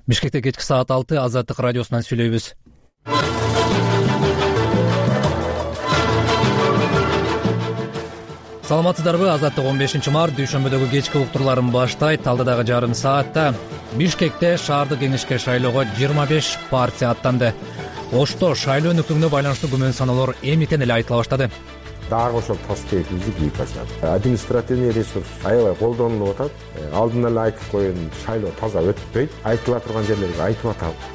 Бишкекте кечки саат 6 Азаттык радиосунан сүйлөйбүз. Саламатсыздарбы? Азаттык 15 март дүйшөмбөдөгү кечки уктурларын баштайт. Алдыдагы жарым саатта Бишкекте шаардык кеңешке шайлоого 25 партия аттанды. Ошто шайлоо өнүктүгүнө байланыштуу күмөн саноолор эмитен эле айтыла баштады. Дагы ошол тас кээпилди кийип баштады. Административный ресурс аябай колдонулуп атат. Алдын эле айтып коеюн, шайлоо таза өтпөйт. Айтыла турган жерлерге айтып атабыз.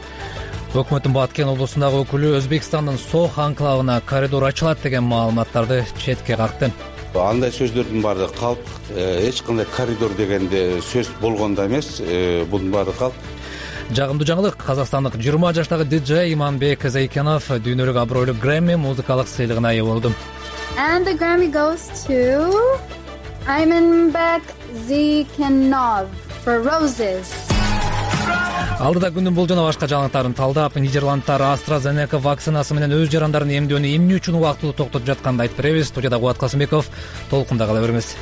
Өкмөттүн Баткен облусундагы өкүлү Өзбекстандын Сох анклавына коридор ачылат деген маалыматтарды четке какты. Андай сөздөрдүн баары калп, эч кандай коридор дегенде сөз болгондо эмес, бунун баары калп. Жагымдуу жаңылык, казакстандык 20 жаштагы диджей Иманбек Зайкенов дүйнөлүк абройлуу Грэмми музыкалык сыйлыгына ээ болду. And the Grammy goes to Imanbek Zaykenov for Roses. Алдыда күндүн болжону башка жаңылыктарын талдап, Нидерландтар AstraZeneca вакцинасы менен өз жарандарын эмдөөнү эмне үчүн убактылуу токтотуп жатканын айтып беребиз. Студияда Кубат Касымбеков, толкунда кала бериңиз.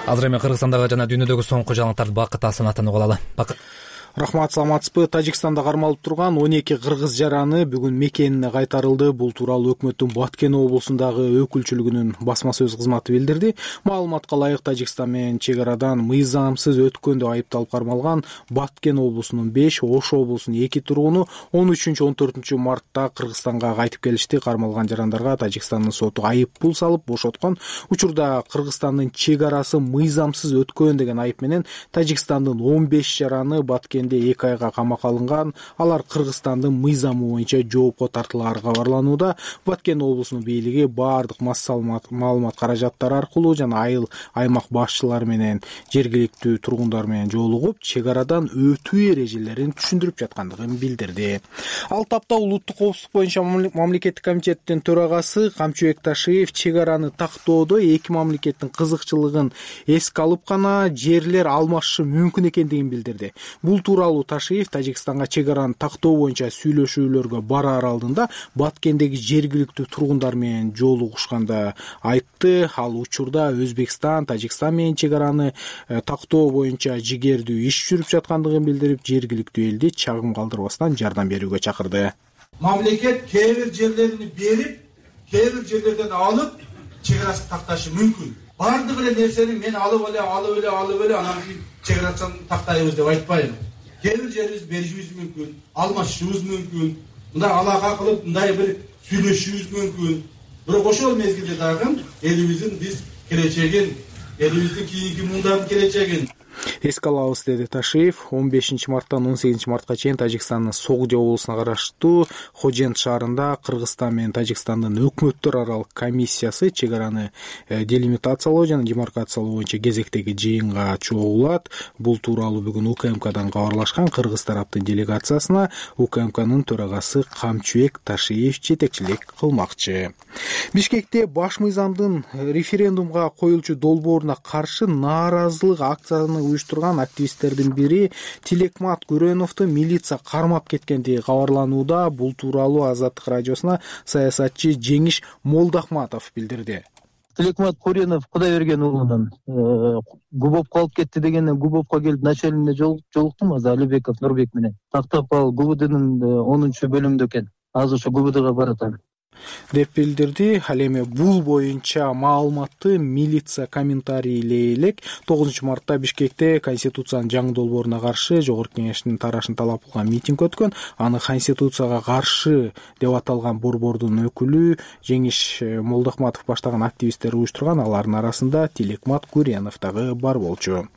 Азыр эми Кыргызстандагы жана дүйнөдөгү соңку жаңылыктарды Бакыт Асанатан угулалы. Бакыт. Рахмат, саламатсызбы? Тажикстанда кармалып турган 12 кыргыз жараны бүгүн мекенине кайтарылды. Бул тууралуу өкмөттүн Баткен облусундагы өкүлчүлүгүнүн басма сөз кызматы билдирди. Маалыматка ылайык, Тажикстан менен чек арадан мыйзамсыз өткөндө айыпталып кармалган Баткен облусунун 5, Ош облусунун 2 тургуну 13-14 мартта Кыргызстанга кайтып келишти. Кармалган жарандарга Тажикстандын соту айып пул салып бошоткон. Учурда Кыргызстандын чек арасы мыйзамсыз өткөн деген айып менен Тажикстандын 15 жараны Баткен 2 айга камакка алынган. Алар Кыргызстандын мыйзамы боюнча жоопко тартылары кабарланууда. Баткен облусунун бийлиги баардык маалымат каражаттары аркылуу жана айыл аймак башчылары менен жергиликтүү тургундар менен жолугуп, чек арадан өтүү эрежелерин түшүндүрүп жаткандыгын билдирди. Ал тапта улуттук коопсуздук боюнча мамлекеттик комитеттин төрагасы Камчыбек Ташиев чек араны тактоодо эки мамлекеттин кызыкчылыгын эске алып гана жерлер алмашышы мүмкүн экендигин билдирди. Бул тууралуу Ташиев Тажикстанга чек араны тактоо боюнча сүйлөшүүлөргө бараар алдында Баткендеги жергиликтүү тургундар менен жолугушканда айтты. Ал учурда Өзбекстан, Тажикстан менен чек араны тактоо боюнча жигердүү иш жүрүп жаткандыгын билдирип, жергиликтүү элди чагым калтырбастан жардам берүүгө чакырды. Мамлекет кээ бир жерлерин берип, кээ бир жерлерден алып, чек арасын такташы мүмкүн. Бардык эле нерсени мен алып эле анан чек арасын тактайбыз деп айтпайм. Кээ бир жерибиз беришибиз мүмкүн, алмашышыбыз мүмкүн, мындай алака кылып, мындай бир сүйлөшүшүбүз мүмкүн. Бирок ошол мезгилде дагы элибиздин биз келечегин, элибиздин кийинки мундагы келечегин эске алабыз, деди Ташиев. 15 марттан 18 мартка чейин Тажикстандын Согди облусуна караштуу Хожент шаарында Кыргызстан менен Тажикстандын өкмөттөр аралык комиссиясы чек араны делимитациялоо жана демаркациялоо боюнча кезектеги жыйынга чогулат. Бул тууралуу бүгүн УКМКдан кабарлашкан кыргыз тараптын делегациясына УКМКнын төрагасы Камчыбек Ташиев жетекчилик кылмакчы. Бишкекте баш мыйзамдын референдумга коюлчу долбооруна каршы нааразылык акцияны уюштурган активисттердин бири Тилекмат Күрөновду милиция кармап кеткендиги кабарланууда. Бул тууралуу Азаттык радиосуна саясатчы Жеңиш Молдахматов билдирди. Тилекмат Күрөнов Кудайберген уулунун Губовко калып кетти дегенден Губовко келип начальнине жолуктум. Азыр Алибеков Нурбек менен тактап ал ГУБДнын 10-бөлүмүндө экен. Азыр ошо ГУБДга баратам деп билдирди. Ал эми бул боюнча маалыматты милиция комментарийлей элек 9 мартта Бишкекте Конституциянын жаңы долбооруна каршы Жогорку Кеңештин тарашын талап кылган митинг өткөн. Аны Конституцияга каршы деп аталган борбордун өкүлү Жеңиш Молдахматов баштаган активисттер уюштурган. Алардын арасында Тилекмат Күрөнов дагы бар болчу.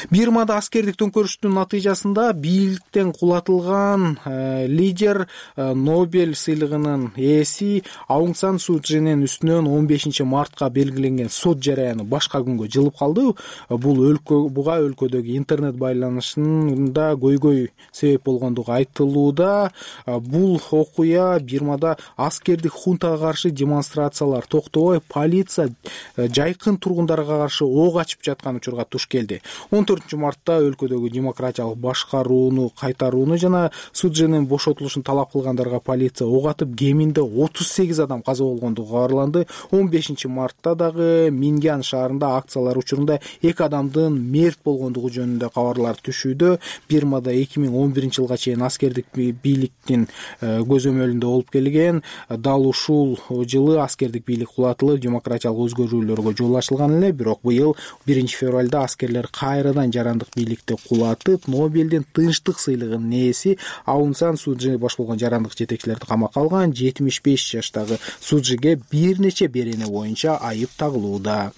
Бирмада аскердик төңкөрүштүн натыйжасында бийликтен кулатылган лидер Нобель сыйлыгынын ээси Аунг Сан Суу Чжинин үстүнөн 15 мартка белгиленген сот жараяны башка күнгө жылып калды. Бул буга өлкөдөгү интернет байланышында көйгөй себеп болгондугу айтылууда. Бул окуя Бирмада аскердик хунтага каршы демонстрациялар токтобой, полиция жайкын тургундарга каршы ок ачып жаткан учурга туш келди. 14 мартта өлкөдөгү демократиялык башкарууну кайтарууну жана Суджинин бошотулушун талап кылгандарга полиция ок атып, кеминде 30 48 адам каза болгондугу кабарланды. 15 мартта дагы Мингян шаарында акциялар учурунда 2 адамдын мерт болгондугу жөнүндө кабарлар түшүүдө. Бирмада 2011 жылга чейин аскердик бийликтин көзөмөлүндө болуп келген. Дал ушул жылы аскердик бийлик кулатылып, демократиялык өзгөрүүлөргө жол ачылган эле. Бирок быйыл 1 февралда аскерлер кайрадан жарандык бийликти кулатып, Нобелдин тынчтык сыйлыгынын ээси Аун Сан Сужи баш болгон жарандык жетекчилерди камакка алган. 75 жаштагы Сужиге бир нече берене боюнча айып тагылууда.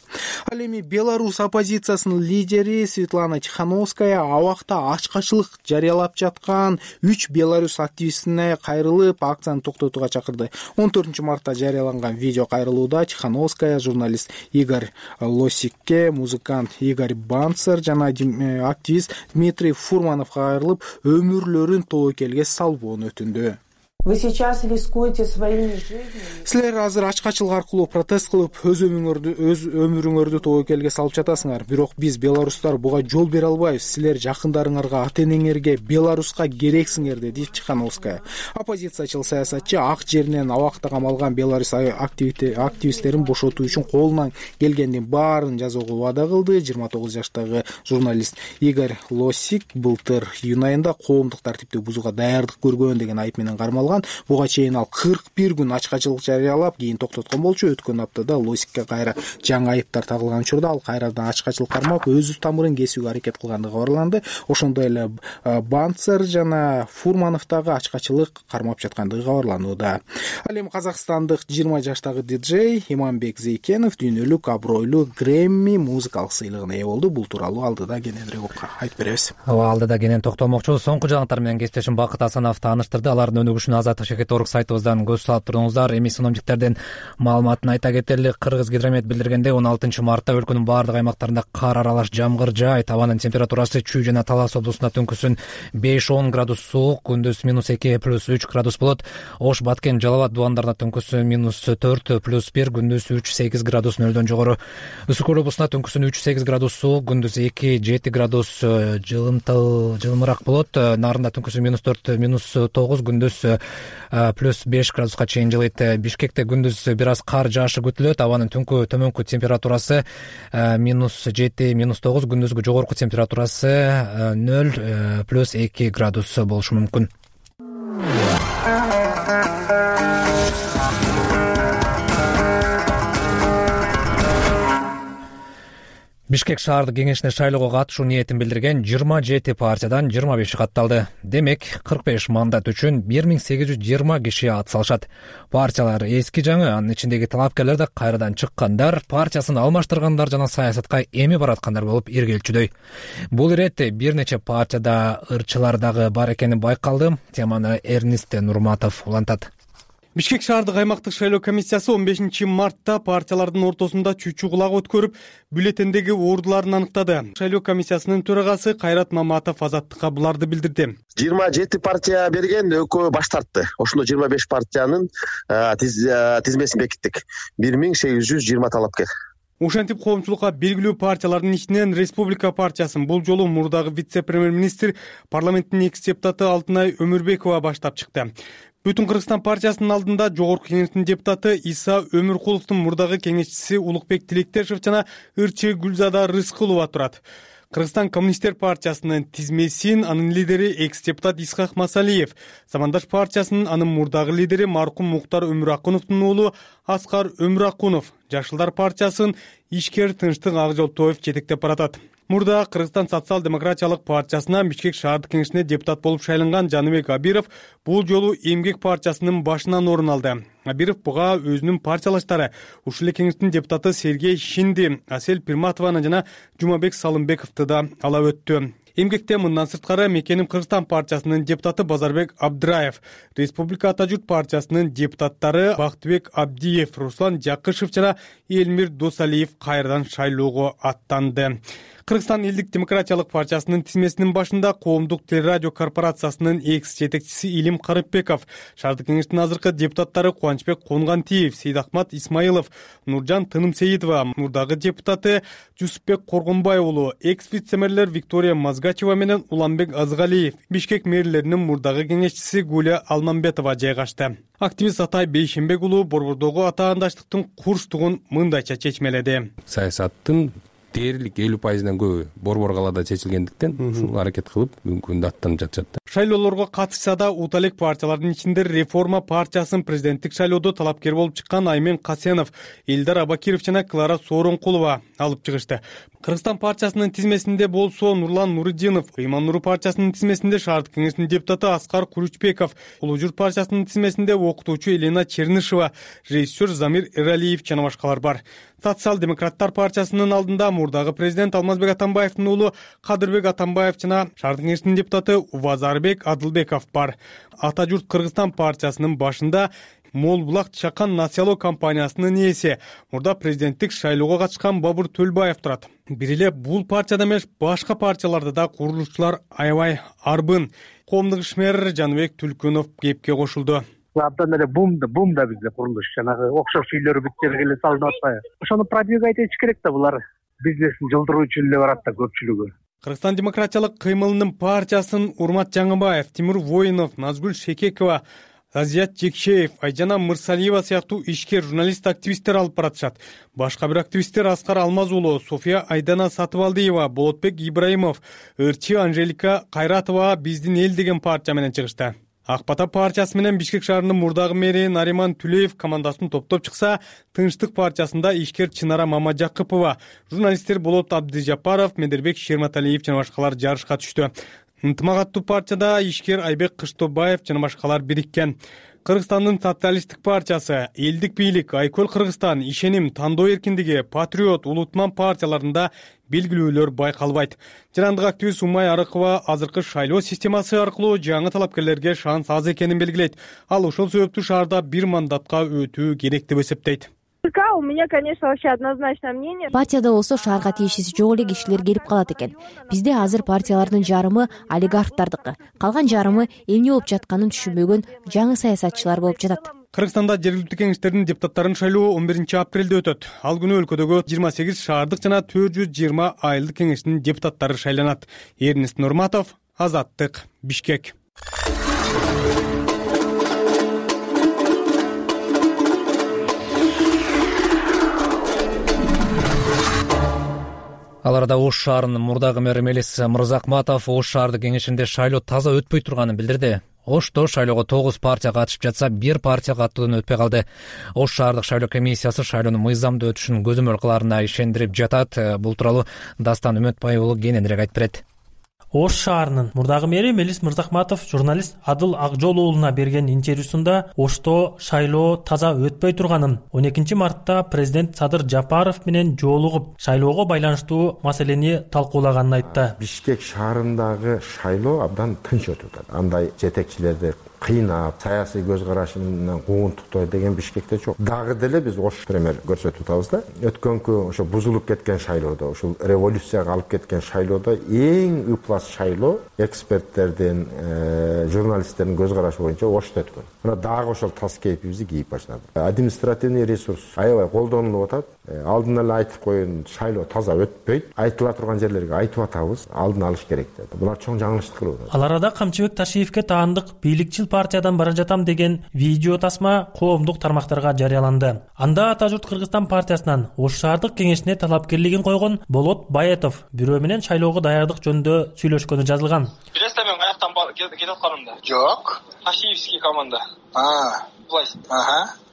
Ал эми Беларусь оппозициясынын лидери Светлана Тихановская абакта ачкачылык жарыялап жаткан 3 Беларусь активистине кайрылып, акцияны токтотууга чакырды. 14 мартта жарыяланган видео кайрылууда Тихановская журналист Игорь Лосикке, музыкант Игорь Банцер жана активист Дмитрий Фурмановго кайрылып, өмүрлөрүн тобокелге салбоону өтүндү. Вы сейчас рискуете своими жизнями. Силер азыр ачкачылык аркылуу протест кылып, өз өмүрүңөрдү тобокелге салып жатасыңар. Бирок биз белорустар буга жол бере албайбыз. Силер жакындарыңарга, ата-энеңерге, Беларуска керексиңер, деди Тихановская. Оппозициячыл саясатчы ак жеринен абакта камалган Беларусь активисттерин бошотуу үчүн колунан келгендин баарын жасоого ваада кылды. 29 жаштагы журналист Игорь Лосик былтыр июнь айында коомдук тартипти бузууга даярдык көргөн деген айып менен кармалган. Буга чейин ал 41 күн ачкачылык жарыялап, кийин токтоткон болчу. Өткөн аптада Лосикке кайра жаңы айыптар тагылган учурда ал кайрадан ачкачылык кармап, өз тамырын кесүүгө аракет кылгандыгы кабарланды. Ошондой эле Банцер жана Фурманов дагы ачкачылык кармап жаткандыгы кабарланууда. Ал эми казакстандык 20 жаштагы диджей Иманбек Зейкенов дүйнөлүк абройлуу Грэмми музыкалык сыйлыгына ээ болду. Бул тууралуу алдыда кененирээк айтып беребиз. Алдыда кенен токтомокчу. Соңку жаңалыктар менен кесиптешим Бакыт Асанов тааныштырды. Алардын өнүгүшүнө Азаттык.org сайтыбыздан көз салып туруңуздар. Эми синоптиктердин маалыматын айта кетели. Кыргыз гидромет билдиргендей 16 мартта өлкөнүн баардык аймактарында кар аралаш жамгыр жаайт. Абанын температурасы Чүй жана Талас облусунда түнкүсүн 5-10 градус суук, күндүз -2 + 3 градус болот. Ош, Баткен, Жалал Абад дубандарында түнкүсүн -4 + 1, күндүз 3-8 градус нөлдөн жогору. Үсүк Көл облусунда түнкүсүн 3-8 градус суук, күндүз 2-7 градус жылымыраак болот. Нарында түнкүсүн -4 -9, күндүз +5 градуска чейин жылыйт. Бишкекте күндүз бир аз кар жаашы күтүлөт. Абанын түнкү төмөнкү температурасы -7 -9, күндүзгү жогорку температурасы 0 + 2 градус болушу мүмкүн. Бишкек шаардык кеңешине шайлоого катышуу ниетин билдирген 27 партиядан 25 катталды. Демек, 45 мандат үчүн 1820 киши ат салышат. Партиялар эски жаңы, анын ичиндеги талапкерлер да кайрадан чыккандар, партиясын алмаштыргандар жана саясатка эми бараткандар болуп иргелчүдөй. Бул иретте бир нече партияда ырчылар дагы бар экени байкалды. Теманы Эрнист Нурматов улантат. Бишкек шаардык аймактык шайлоо комиссиясы 15 мартта партиялардын ортосунда чүчү кулак өткөрүп, бюллетендеги ордуларын аныктады. Шайлоо комиссиясынын төрагасы Кайрат Маматов Азаттыкка буларды билдирди. 27 партия берген, экөө баш тартты. Ошондо 25 партиянын тизмесин бекиттик. 1820 талапкер. Ушентип коомчулукка белгилүү партиялардын ичинен Республика партиясын бул жолу мурдагы вице-премьер-министр, парламенттин экс депутаты Алтынай Өмүрбекова баштап чыкты. Бүтүн Кыргызстан партиясынын алдында Жогорку кеңештин депутаты Иса Өмүркуловдун мурдагы кеңешчиси Улукбек Тилектешев жана ырчы Гүлзада Рыскулова турат. Кыргызстан коммунисттер партиясынын тизмесин анын лидери экс-депутат Исхак Масалиев, Замандаш партиясынын анын мурдагы лидери маркум Муктар Өмүракуновдун уулу Аскар Өмүракунов, Жашылдар партиясын ишкер Тынчтык Акжолтоев жетектеп баратат. Мурда Кыргызстан социал-демократиялык партиясына Бишкек шаардык кеңешине депутат болуп шайланган Жаныбек Абиров бул жолу Эмгек партиясынын башынан орун алды. Абиров буга өзүнүн партиялаштары ушул эле кеңештин депутаты Сергей Шинди, Асель Пирматованы жана Жумабек Салымбековду да ала өттү. Эмгекте мындан сырткары Мекеним Кыргызстан партиясынын депутаты Базарбек Абдраев, Республика Ата журт партиясынын депутаттары Бактыбек Абдиев, Руслан Жакышев жана Элмир Досалиев кайрадан шайлоого аттанды. Кыргызстан элдик демократиялык партиясынын тизмесинин башында Коомдук телерадио корпорациясынын экс жетекчиси Илим Карыпбеков, шаардык кеңештин азыркы депутаттары Кубанычбек Конгантиев, Сейдахмат Исмаилов, Нуржан Тынымсеитова, мурдагы депутаты Жусупбек Коргонбай уулу, экс вице-мэрлер Виктория Мазгачева менен Уланбек Азгалиев, Бишкек мэрлеринин мурдагы кеңешчиси Гуля Алмамбетова жайгашты. Активист Атай Бейшенбек уулу борбордогу атаандаштыктын курчтугун мындайча чечмеледи. Саясаттын дээрлик 50%-дан көбү борбор калаада чечилгендиктен ушул аракет кылып бүгүнкү күндө аттанып жатышат. Шайлоолорго катышса да ута элек партиялардын ичинде Реформа партиясынын президенттик шайлоодо талапкер болуп чыккан Аймен Касенов, Элдар Абакиров жана Клара Сооронкулова алып чыгышты. Кыргызстан партиясынын тизмесинде болсо Нурлан Нуриддинов, Ыйман Нуру партиясынын тизмесинде шаардык кеңештин депутаты Аскар Куручбеков, Улуу Журт партиясынын тизмесинде окутуучу Елена Чернышева, режиссер Замир Эралиев жана башкалар бар. Социал-демократтар партиясынын алдында мурдагы президент Алмазбек Атамбаевдин уулу Кадырбек Атамбаев жана шаардык кеңештин депутаты Увазарбек Адылбеков бар. Ата журт Кыргызстан партиясынын башында Мол Булак Чакан Насиялоо компаниясынын ээси, мурда президенттик шайлоого катышкан Бабур Төлбаев турат. Бир эле бул партияда эмес, башка партияларда да курулушчулар аябай арбын. Коомдук ишмер Жаныбек Түлкүнов кепке кошулду. Абдан эле бум да бизде курулуш, жанагы окшош үйлөр бүттөргө эле салынып атпайбы. Ошону продвигать этиш керек да, булар бизнесин жылдыруу үчүн эле барат да көпчүлүгү. Кыргызстан демократиялык кыймылынын партиясын Урмат Жаңыбаев, Тимур Воинов, Назгүл Шекекова, Азият Жекшеев, Айжана Мырсалиева сыяктуу ишкер журналист-активисттер алып баратышат. Башка бир активисттер Аскар Алмаз уулу, София Айдана Сатыбалдиева, Болотбек Ибраимов, Ырчы Анжелика Кайратова биздин эл деген партия менен чыгышты. Ак Бата партиясы менен Бишкек шаарынын мурдагы мэри Нариман Түлеев командасын топтоп чыкса, Тынчтык партиясында ишкер Чынара Мамажакыпова, журналисттер Болот Абдыжапаров, Медербек Шерматалиев жана башкалар жарышка түштү. Ынтымак партияда ишкер Айбек Кыштобаев жана башкалар бириккен. Кыргызстандын социалисттик партиясы, элдик бийлик, Айкөл Кыргызстан, Ишеним, Тандоо эркиндиги, Патриот, Улутман партияларында белгилүүлөр байкалбайт. Жарандык активист Умай Арыкова азыркы шайлоо системасы аркылуу жаңы талапкерлерге шанс аз экенин белгилейт. Ал ошол себептүү шаарда бир мандатка өтүү керек деп эсептейт. У меня, конечно, вообще однозначное мнение. Партияда болсо шаарга тиешеси жок эле кишилер келип калат экен. Бизде азыр партиялардын жарымы олигархтардыкы, калган жарымы эмне болуп жатканын түшүнбөгөн жаңы саясатчылар болуп жатат. Кыргызстанда жергиликтүү кеңештердин депутаттарын шайлоо 11 апрелде өтөт. Ал күнү өлкөдөгү 28 шаардык жана 420 айылдык кеңештин депутаттары шайланат. Эрнест Нурматов, Азаттык, Бишкек. Ал арада Ош шаарынын мурдагы мэри Мелис Мырзакматов Ош шаардык кеңешинде шайлоо таза өтпөй турганын билдирди. Ошто шайлоого 9 партия катышып жатса, бир партия каттуудан өтпөй калды. Ош шаардык шайлоо комиссиясы шайлоонун мыйзамдуу өтүшүн көзөмөл кылаарына ишендирип жатат. Бул тууралуу Дастан Үмөтбай уулу кененирээк айтып берет. Ош шаарынын мурдагы мэри Мелис Мырзакматов журналист Адыл Акжол уулуна берген интервьюсунда Ошто шайлоо таза өтпөй турганын, 12 мартта президент Садыр Жапаров менен жолугуп шайлоого байланыштуу маселени талкуулаганын айтты. Бишкек шаарындагы шайлоо абдан тынч өтүп атат. Андай жетекчилерди кыйнап, саясий көз карашы менен куугунтуктоо деген Бишкекте жок. Дагы деле биз Ош пример көрсөтүп атабыз да. Өткөнкү ошо бузулуп кеткен шайлоодо, ушул революцияга алып кеткен шайлоодо эң ыплас шайлоо эксперттердин, журналисттердин көз карашы боюнча Ошто өткөн. Мына дагы ошол тас кейпибизди кийип баштады. Административный ресурс аябай колдонулуп атат. Алдын эле айтып коеюн, шайлоо таза өтпөйт. Айтыла турган жерлерге айтып атабыз, алдын алыш керек деп. Булар чоң жаңылыштык кылып атат. Ал арада Камчыбек Ташиевке таандык бийликчил партиядан бара жатам деген видео тасма коомдук тармактарга жарыяланды. Анда Ата журт Кыргызстан партиясынан Ош шаардык кеңешине талапкерлигин койгон Болот Баетов бирөө менен шайлоого даярдык жөнүндө сүйлөшкөнү жазылган. Билесиз, мен каяктан кетип атканымды? Жок. Ташиевский команда. Власть.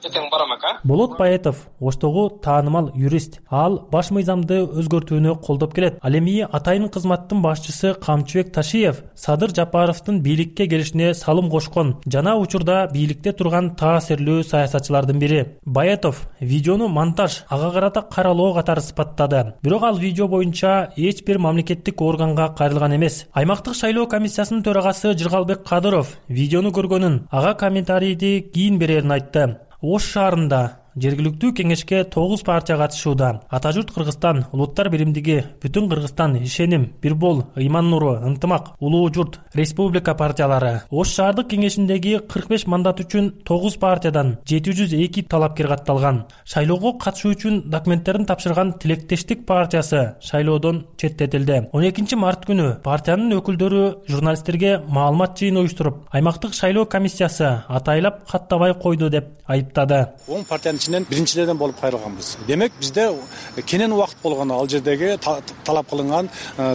Эртең барам ака. Болот Баетов Оштогу таанымал юрист. Ал баш мыйзамды өзгөртүүнү колдоп келет. Ал эми атайын кызматтын башчысы Камчыбек Ташиев Садыр Жапаровдун бийликке келишине салым кошкон жана учурда бийликте турган таасирлүү саясатчылардын бири. Баетов видеону монтаж, ага карата каралоо катары сыпаттады. Бирок ал видео боюнча эч бир мамлекеттик органга кайрылган эмес. Аймактык шайлоо комиссиясынын төрагасы Жыргалбек Кадыров видеону көргөнүн, ага комментарийди кийин берерин айтты. Ош шаарында жергиликтүү кеңешке 9 партия катышууда. Ата журт Кыргызстан, Улуттар биримдиги, Бүтүн Кыргызстан, Ишеним, Бирбол, Ыйман нуру, Ынтымак, Улуу журт, Республика партиялары. Ош шаардык кеңешиндеги 45 мандат үчүн 9 партиядан 702 талапкер катталган. Шайлоого катышуу үчүн документтерин тапшырган Тилектештик партиясы шайлоодон четтетилди. 12 март күнү партиянын өкүлдөрү журналисттерге маалымат жыйын уюштуруп, аймактык шайлоо комиссиясы атайлап каттабай койду деп айыптады. 10 партиянын ичинен биринчилерден болуп кайрылганбыз. Демек бизде кенен убакыт болгон ал жердеги талап кылынган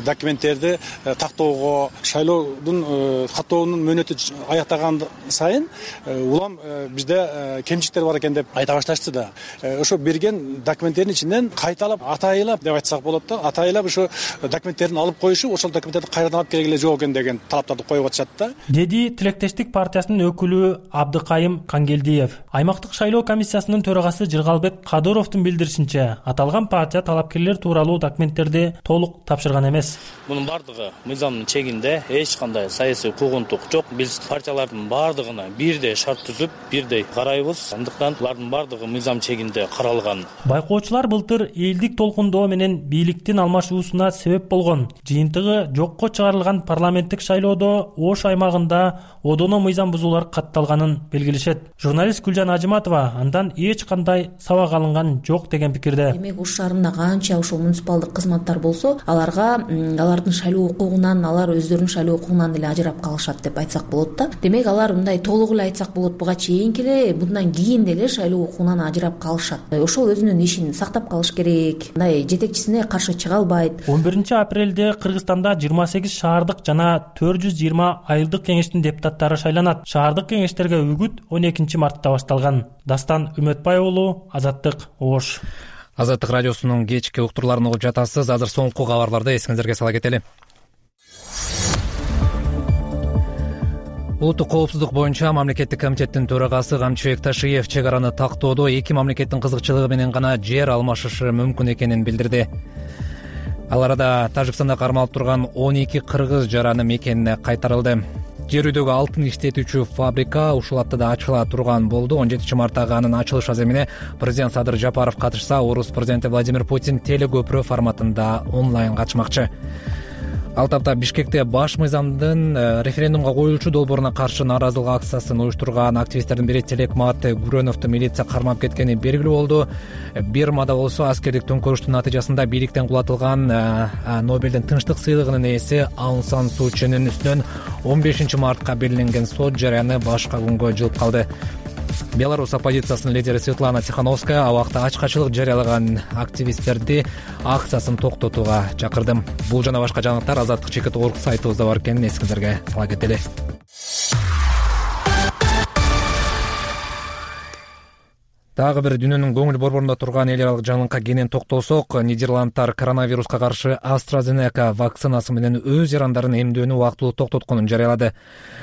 документтерди тактоого, шайлоодун каттоонун мөөнөтү аяктаган сайын улам бизде кемчиликтер бар экен деп айта башташты да. Ошо берген документтердин ичинен кайталап, атайлап деп айтсак болот да, атайлап ошо документтерин алып коюшу, ошол документтерди кайрадан алып келгиле жок экен деген талаптарды коюп атышат да. Деди Тилектештик партиясынын өкүлү Абдыкайым Кангелдиев. Аймактык шайлоо комиссиясынын төрагасы Жыргалбек Кадыровдун билдиришинче, аталган партия талапкерлер тууралуу документтерди толук тапшырган эмес. Мунун бардыгы мыйзамдын чегинде, эч кандай саясий куугунтук жок. Биз партиялардын бардыгына бирдей шарт түзүп, бирдей карайбыз. Андыктан булардын бардыгы мыйзам чегинде каралган. Байкоочулар былтыр элдик толкундоо менен бийликтин алмашуусуна себеп болгон жыйынтыгы жокко чыгарылган парламенттик шайлоодо Ош аймагында одоно мыйзам бузуулар катталганын белгилешет. Журналист Гүлжан Ажыматова андан эч кандай сабак алынган жок деген пикирде. Демек Ош шаарында канча ошол муниципалдык кызматтар болсо, алардын шайлоо укугунан, алар өздөрүнүн шайлоо укугунан деле ажырап калышат деп айтсак болот да. Демек алар мындай толук эле айтсак болот, буга чейинки эле, мындан кийин деле шайлоо укугунан ажырап калышат. Ошол өзүнүн ишин сактап калыш керек. Мындай жетекчисине каршы чыга албайт. 11-апрелде Кыргызстанда 28 шаардык жана 420 айылдык кеңештин депутаттары шайланат. Шаардык кеңештерге үгүт 12 мартта башталган. Дастан Үмөтбай уулу, Азаттык, Ош. Азаттык радиосунун кечки уктурларын угуп жатасыз. Азыр соңку кабарларды эсиңиздерге сала кетели. Улуттук коопсуздук боюнча мамлекеттик комитеттин төрагасы Камчыбек Ташиев чек араны тактоодо эки мамлекеттин кызыкчылыгы менен гана жер алмашышы мүмкүн экенин билдирди. Ал арада Тажикстанда кармалып турган 12 кыргыз жараны мекенине кайтарылды. Жер үйдөгү алтын иштетүүчү фабрика ушул аптада ачыла турган болду. 17 марттагы анын ачылыш аземине президент Садыр Жапаров катышса, орус президенти Владимир Путин телекөпүрө форматында онлайн катышмакчы. Ал тапта Бишкекте баш мыйзамдын референдумга коюлчу долбооруна каршы нааразылык акциясын уюштурган активисттердин бири Телекмат Гүрөновду милиция кармап кеткени белгилүү болду. Бирмада болсо аскердик төңкөрүштүн натыйжасында бийликтен кулатылган Нобелдин тынчтык сыйлыгынын ээси Аун Сан Суу Чынын үстүнөн 15 мартка белгиленген сот жарыяны башка күнгө жылып калды. Беларусь оппозициясынын лидери Светлана Тихановская абакта ачкачылык жарыялаган активисттерди акциясын токтотууга чакырды. Бул жана башка жаңылыктар Азаттык чекит.org сайтыбызда бар экенин эсиңиздерге сала кетели. Дагы бир дүйнөнүн көңүл борборунда турган эл аралык жаңылыкка кенен токтолсок, Нидерландтар коронавируска каршы AstraZeneca вакцинасы менен өз жарандарын эмдөөнү убактылуу токтотконун жарыялады.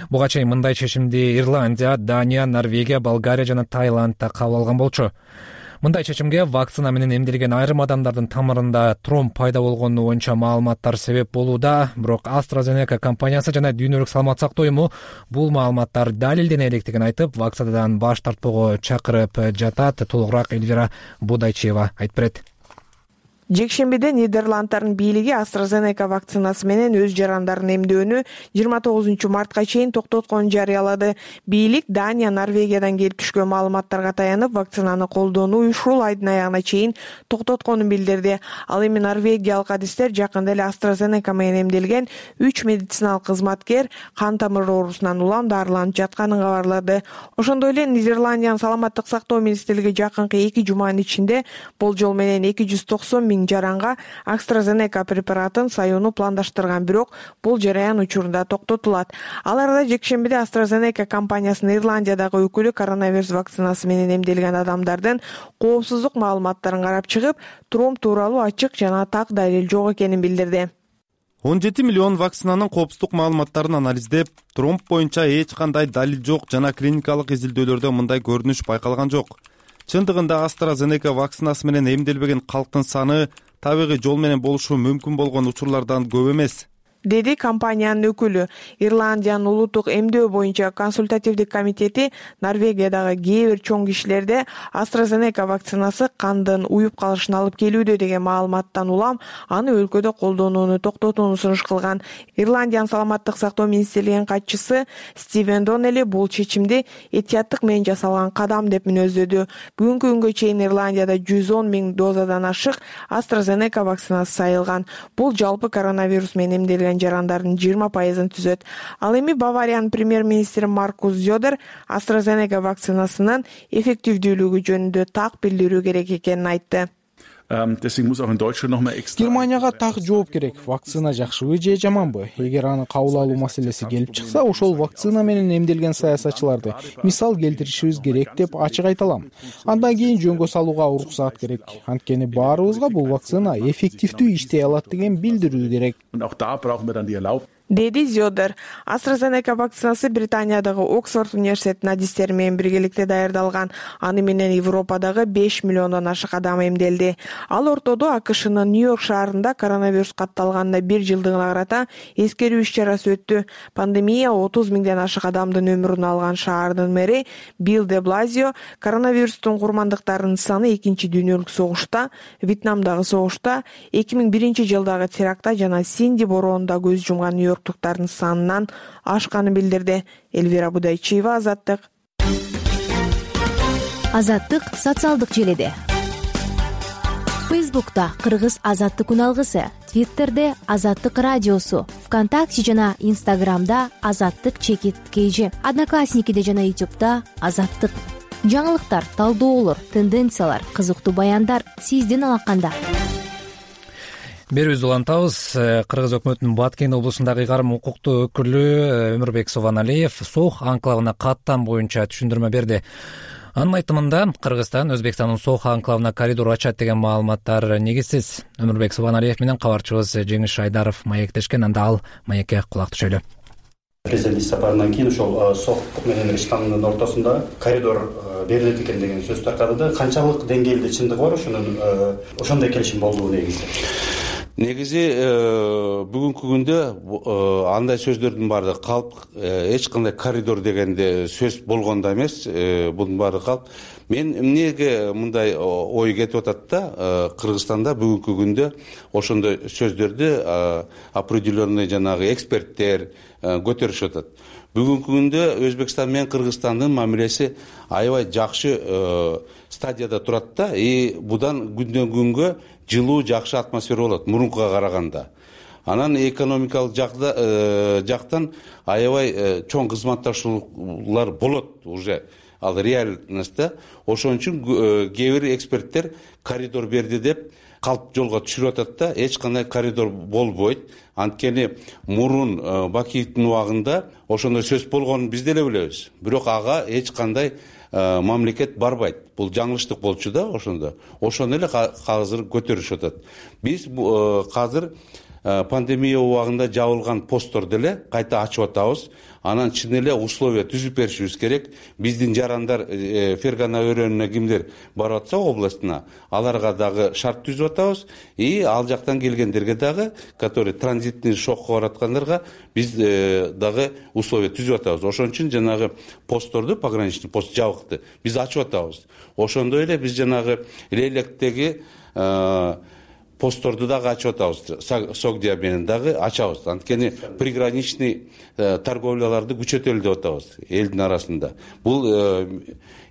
Буга чейин мындай чечимди Ирландия, Дания, Норвегия, Болгария жана Таиландда кабыл алган болчу. Мындай чечимге вакцина менен эмделген айрым адамдардын тамырында тромб пайда болгону боюнча маалыматтар себеп болууда, бирок AstraZeneca компаниясы жана Дүйнөлүк саламат сактоо уюму бул маалыматтар далилдене электигин айтып, вакцинадан баш тартпоого чакырып жатат. Толугураак Эльвира Будайчева айтып берет. Жекшембиде Нидерландтардын бийлиги AstraZeneca вакцинасы менен өз жарандарын эмдөөнү 29 мартка чейин токтотконун жарыялады. Бийлик Дания, Норвегиядан келип түшкөн маалыматтарга таянып, вакцинаны колдоону ушул айдын аягына чейин токтотконун билдирди. Ал эми норвегиялык адистер жакында эле AstraZeneca менен эмделген 3 медициналык кызматкер кан тамыр оорусунан улам дарыланып жатканын кабарлады. Ошондой эле Нидерландиянын саламаттык сактоо министрлиги жакынкы 2 жуманын ичинде болжол менен 290 000 жаранга AstraZeneca препаратын саюуну пландаштырган, бирок бул жараян учурунда токтотулат. Ал арада жекшембиде AstraZeneca компаниясынын Ирландиядагы өкүлү коронавирус вакцинасы менен эмделген адамдардын коопсуздук маалыматтарын карап чыгып, тромб тууралуу ачык жана так далил жок экенин билдирди. 17 миллион вакцинанын коопсуздук маалыматтарын анализдеп, тромб боюнча эч кандай далил жок жана клиникалык изилдөөлөрдө мындай көрүнүш байкалган жок. Чындыгында AstraZeneca вакцинасы менен эмделбеген калктын саны табигый жол менен болушу мүмкүн болгон учурлардан көп эмес. деди компаниянын өкүлү. Ирландиянын улуттук эмдөө боюнча консультативдик комитети Норвегиядагы кээ бир чоң кишилерде AstraZeneca вакцинасы кандын уюп калышына алып келүүдө деген маалыматтан улам аны өлкөдө колдонууну токтотууну сунуш кылган. Ирландиянын саламаттык сактоо министрлигинин катчысы Стивен Доннелли бул чечимди этияттык менен жасалган кадам деп мүнөздөдү. Бүгүнкү күнгө чейин Ирландияда 110 000 дозадан ашык AstraZeneca вакцинасы сайылган. Бул жалпы коронавирус менен эмделген жарандардын 20%-ын түзөт. Ал эми Бавариянын премьер-министри Маркус Зёдер AstraZeneca вакцинасынын эффективдүүлүгү жөнүндө так билдирүү керек экенин айтты. Германияга так жооп керек. Вакцина жакшыбы же жаманбы? Эгер аны кабыл алуу маселеси келип чыкса, ошол вакцина менен эмделген саясатчыларды мисал келтиришибиз керек деп ачык айта алам. Андан кийин жөнгө салууга уруксаат керек. Анткени баарыбызга бул вакцина эффективдүү иштей алат деген билдирүү керек, деди Зёдер. AstraZeneca вакцинасы Британиядагы Оксфорд университетинин адистери менен биргеликте даярдалган. Аны менен Европадагы 5 миллиондон ашык адам эмделди. Ал ортодо АКШнын Нью-Йорк шаарында коронавирус катталганына 1 жылдыгына карата эскерүү иш-чарасы өттү. Пандемия 30 000ден ашык адамдын өмүрүн алган шаардын мэри Билл де Блазио коронавирустун курмандыктарынын саны 2-дүйнөлүк согушта, Вьетнамдагы согушта, 2001-жылдагы терактта жана Синди бороонунда көз жумган нью-йорктуктардын санынан ашканын билдирди. Элвира Будайчиева, Азаттык. Азаттык социалдык желеде. Фейсбукта Кыргыз Азаттык күн алгысы, Твиттерде Азаттык радиосу, ВКонтакте жана Инстаграмда Азаттык_KG, Одноклассникиде жана Ютубта Азаттык. Жаңылыктар, талдоолор, тенденциялар, кызыктуу баяндар сиздин алаканда. Берүүбүздү улантабыз. Кыргыз өкмөтүнүн Баткен облусундагы ыйгарым укуктуу өкүлү Өмүрбек Субаналиев Сох анклавына каттам боюнча түшүндүрмө берди. Анын айтымында Кыргызстан Өзбекстандын Сох анклавына коридор ачат деген маалыматтар негизсиз. Өмүрбек Субаналиев менен кабарчыбыз Жеңиш Айдаров маектешкен, анда ал маекке кулак түшөлү. Президент сапарынан кийин ошол Сох менен Штамдын ортосунда коридор берилет экен деген сөз таркады. Канчалык деңгээлде чындыгы бар ошондой келишим болдубу негизи бүгүнкү күндө андай сөздөрдүн баардыгы калп, эч кандай коридор дегенде сөз болгондо эмес, бунун баардыгы калп. Мен эмнеге мындай ой кетип атат да, Кыргызстанда бүгүнкү күндө ошондой сөздөрдү определенный жанагы эксперттер көтөрүшүп атат. Бүгүнкү күндө Өзбекстан менен Кыргызстандын мамилеси аябай жакшы стадияда турат да, будан күндөн күнгө жылуу, жакшы атмосфера болот мурункуга караганда. Анан экономикалык жактан аябай чоң кызматташуулар болот уже. Ал реальность да. Ошон үчүн кээ бир эксперттер коридор берди деп калп жолго түшүрүп атат да, эч кандай коридор болбойт. Анткени мурун Бакиевдин убагында ошондой сөз болгонун биз деле билебиз. Бирок ага эч кандай мамлекет барбайт. Бул жаңылыштык болчу да ошондо. Ошону эле азыр көтөрүшүп атат. Биз азыр пандемия убагында жабылган постторду эле кайта ачып атабыз. Анан чын эле условия түзүп беришибиз керек. Биздин жарандар Фергана өрөөнүнө кимдер барып атса областына, аларга дагы шарт түзүп атабыз. Ал жактан келгендерге дагы, которые транзитный шокко бараткандарга биз дагы условия түзүп атабыз. Ошон үчүн жанагы постторду, пограничный пост жабыкты, биз ачып атабыз. Ошондой эле биз жанагы Лелектеги постторду дагы ачып атабыз. Согдия менен дагы ачабыз. Анткени приграничный торговляларды күчөтөлү деп атабыз элдин арасында. Бул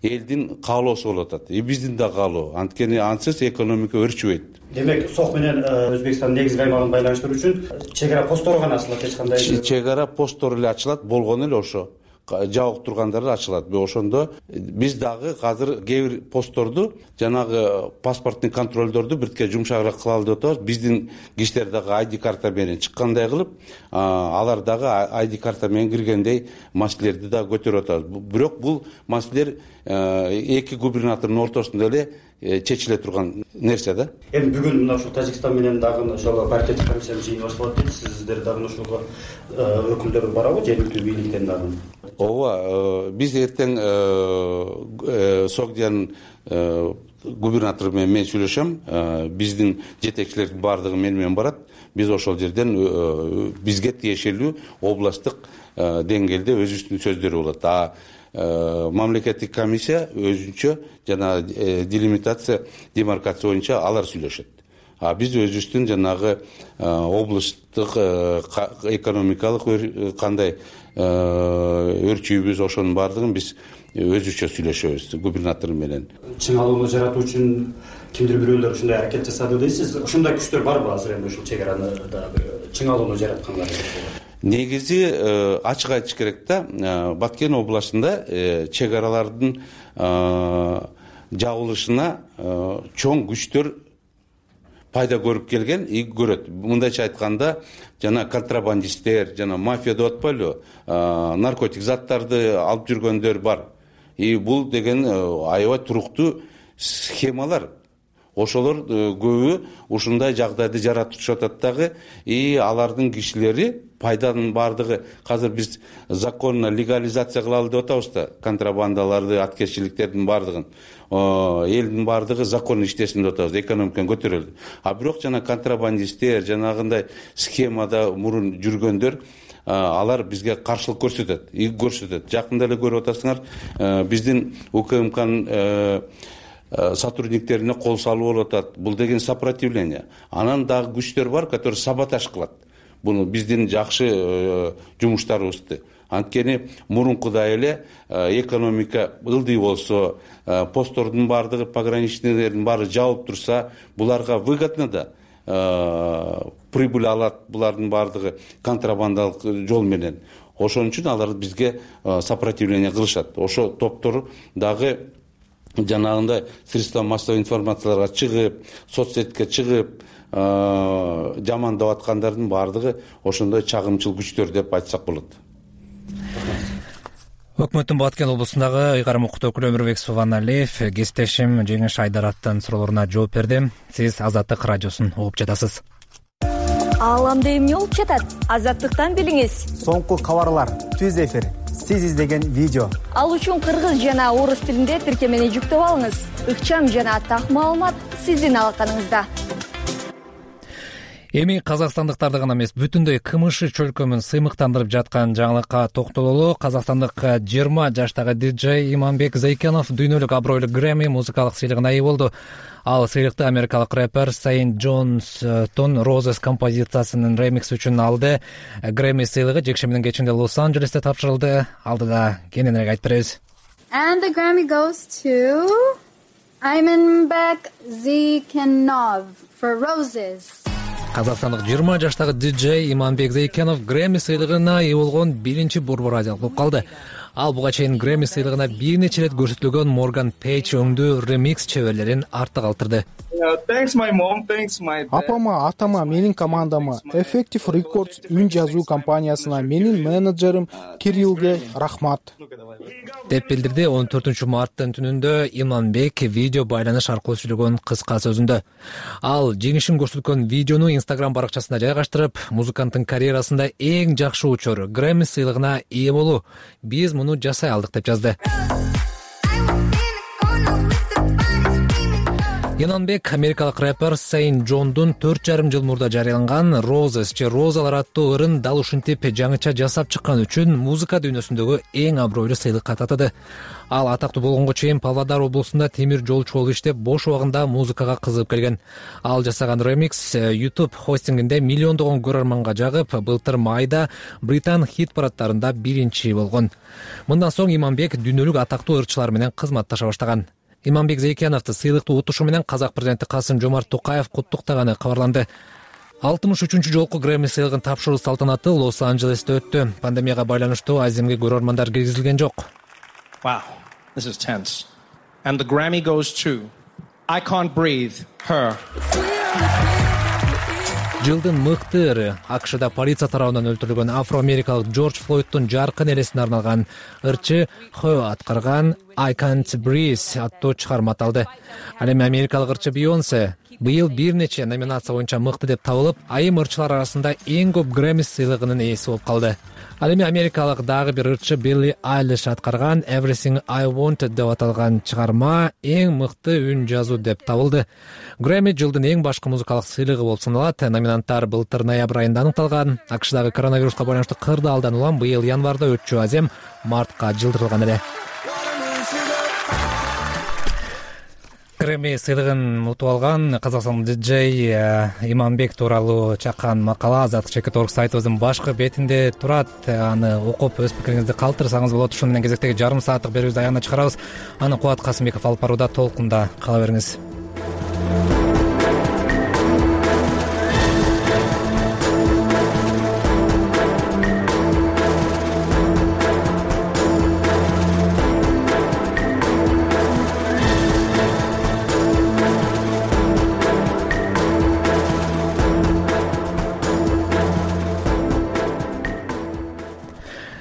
элдин каалоосу болуп атат. Биздин да каалоо. Анткени ансыз экономика өрчүбөйт. Демек, Сох менен Өзбекстандын негизги аймагын байланыштыруу үчүн чек ара посттору гана ачылат, эч кандай чек ара посттору эле ачылат, болгону эле ошо. Жабык тургандар ачылат. Ошондо биз дагы азыр кээ бир постторду, жанагы паспорттун контролдорду биртке жумшагыраак кылалы деп атабыз. Биздин кишилер дагы ID карта менен чыккандай кылып, алар дагы ID карта менен киргендей маселелерди да көтөрүп атабыз. Бирок бул маселелер эки губернатордун ортосунда эле чечиле турган нерсе да. Эми бүгүн мына ушул Тажикстан менен дагы ошол паритеттик комиссиянын жыйыны башталат дейт. Сиздер дагы ошого өкүлдөр барабы, жергиликтүү бийликтен дагы? Ооба, биз эртең Согдиянын губернатору менен мен сүйлөшөм. Биздин жетекчилердин баардыгы менен барат. биз ошол жерден бизге тиешелүү областтык деңгээлде өзүбүздүн сөздөрү болот. Мамлекеттик комиссия өзүнчө жана делимитация, демаркация боюнча алар сүйлөшөт. Биз өзүбүздүн жанагы областтык экономикалык кандай өрчүйбүз, ошонун баардыгын биз өзүчө сүйлөшөбүз губернатор менен. Чың алууну жаратуу үчүн кимдир бирөөлөр ушундай аракет жасады дейсиз. Ушундай күчтөр барбы азыр эми ушул чек араны чың алууну жараткандар? Негизи ачык айтыш керек да, Баткен областында чек аралардын жабылышына чоң күчтөр пайда көрүп келген и көрөт. Мындайча айтканда, жана контрабандисттер, жана мафия деп атпайлы, наркотик заттарды алып жүргөндөр бар. И бул деген аябай туруктуу схемалар. Ошолор көбү ушундай жагдайды жаратышып атат дагы, и алардын кишилери пайданын баардыгы азыр биз законно легализация кылалы деп атабыз да, контрабандаларды, аткезчиликтердин баардыгын. Элдин баардыгы законно иштесин деп атабыз, экономиканы көтөрөлү. Бирок жана контрабандисттер, жанагындай схемада мурун жүргөндөр, алар бизге каршылык көрсөтөт, иг көрсөтөт. Жакында эле көрүп атасыңар, биздин УКМКнын сотрудниктерине кол салуу болуп атат. Бул деген сопротивление. Анан дагы күчтөр бар, которые саботаж кылат. Буну биздин жакшы жумуштарыбызды. Анткени мурункудай эле экономика ылдый болсо, посттордун баардыгы, пограничныйлердин баары жабылып турса, буларга выгодно да прибыль алат, булардын баардыгы контрабандалык жол менен. Ошон үчүн алар бизге сопротивление кылышат. Ошо топтор дагы жанагындай средства массовой информацияларга чыгып, соцсетке чыгып, жамандап аткандардын баардыгы ошондой чагымчыл күчтөр деп айтсак болот. Өкмөттүн Баткен облусундагы ыйгарым укуктуу өкүлү Өмүрбек Субаналиев кесиптешим Жеңиш Айдараттын суроолоруна жооп берди. Сиз Азаттык радиосун угуп жатасыз. Ааламда эмне болуп жатат? Азаттыктан билиңиз. Соңку кабарлар, түз эфир, сиз издеген видео. Ал үчүн кыргыз жана орус тилинде тиркемени жүктөп алыңыз. Ыкчам жана так маалымат сиздин алаканыңызда. Эми казакстандыктарды гана эмес, бүтүндөй КМШ чөлкөмүн сыймыктандырып жаткан жаңылыкка токтололу. Казакстандык 20 жаштагы диджей Иманбек Зайкенов дүйнөлүк абройлуу Грэмми музыкалык сыйлыгына ээ болду. Ал сыйлыкты америкалык рэпер Сейн Джонстон Roses композициясынын ремикси үчүн алды. Грэмми сыйлыгы жекшембинин кечинде Лос-Анджелесте тапшырылды. Алдыда кененирээк айтып беребиз. And the Grammy goes to Imanbek Zaykenov for Roses. Казакстандык 20 жаштагы диджей Иманбек Зайкенов Грэмми сыйлыгына ээ болгон биринчи борбор азиялык болуп калды. Ал буга чейин Грэмми сыйлыгына бир нече ирет көрсөтүлгөн Морган Пейдж өңдүү ремикс чеберлерин артта калтырды. Апама, атама, менин командама, Effective Records үн жазуу компаниясына, менин менеджерим Кириллге рахмат деп билдирди 14 марттын түнүндө Иманбек видео байланыш аркылуу сүйлөгөн кыска сөзүндө. Ал жеңишин көрсөткөн видеону Instagram баракчасына жайгаштырып, музыканттын карьерасында эң жакшы учур Грэмми сыйлыгына ээ болуу. Биз муну жасай алдык деп жазды. Иманбек америкалык рэпер Сейн Джондун 4,5 жыл мурда жарыяланган Roses же Розалар аттуу ырын дал ушинтип жаңыча жасап чыккан үчүн музыка дүйнөсүндөгү эң абройлуу сыйлыкка татады. Ал атактуу болгонго чейин Павлодар облусунда темир жолчу болуп иштеп, бош убагында музыкага кызыгып келген. Ал жасаган ремикс YouTube хостингинде миллиондогон көрөрманга жагып, былтыр майда Британ хит парадтарында биринчи болгон. Мындан соң Иманбек дүйнөлүк атактуу ырчылар менен кызматташа баштаган. Иманбек Зайкеновду сыйлыктуу утушу менен Казак президенти Касым-Жомарт Токаев куттуктаганы кабарланды. 63-чү жолку Грэмми сыйлыгын тапшыруу салтанаты Лос-Анджелесте өттү. Пандемияга байланыштуу аземге көрөрмандар киргизилген жок. Wow, this is tense. And the Grammy goes to I Can't Breathe, Her. Жылдын мыкты ыры АКШда полиция тарабынан өлтүрүлгөн афро-америкалык Джордж Флойдтун жаркын элесине арналган ырчы Хö аткарган I Can't Breathe аттуу чыгарма аталды. Ал эми америкалык ырчы Бейонсе быйыл бир нече номинация боюнча мыкты деп табылып, айым ырчылар арасында эң көп Грэмми сыйлыгынын ээси болуп калды. Ал эми америкалык дагы бир ырчы Билли Айлиш аткарган Everything I Wanted деп аталган чыгарма эң мыкты үн жазуу деп табылды. Грэмми жылдын эң башкы музыкалык сыйлыгы болуп саналат. Номинанттар былтыр ноябрь айында аныкталган. АКШдагы коронавируска байланыштуу кырдаалдан улам быйыл январда өтчү азем мартка жылдырылган эле. Грэмми сыйлыгын утуп алган Казакстандын диджей Иманбек тууралуу чаккан макала Азаттык.org сайтыбыздын башкы бетинде турат. Аны окуп өз пикириңизди калтырсаңыз болот. Ушуну менен кезектеги жарым сааттык берүүбүздү аягына чыгарабыз. Аны Кубат Касымбеков алып барууда, толкунда кала бериңиз.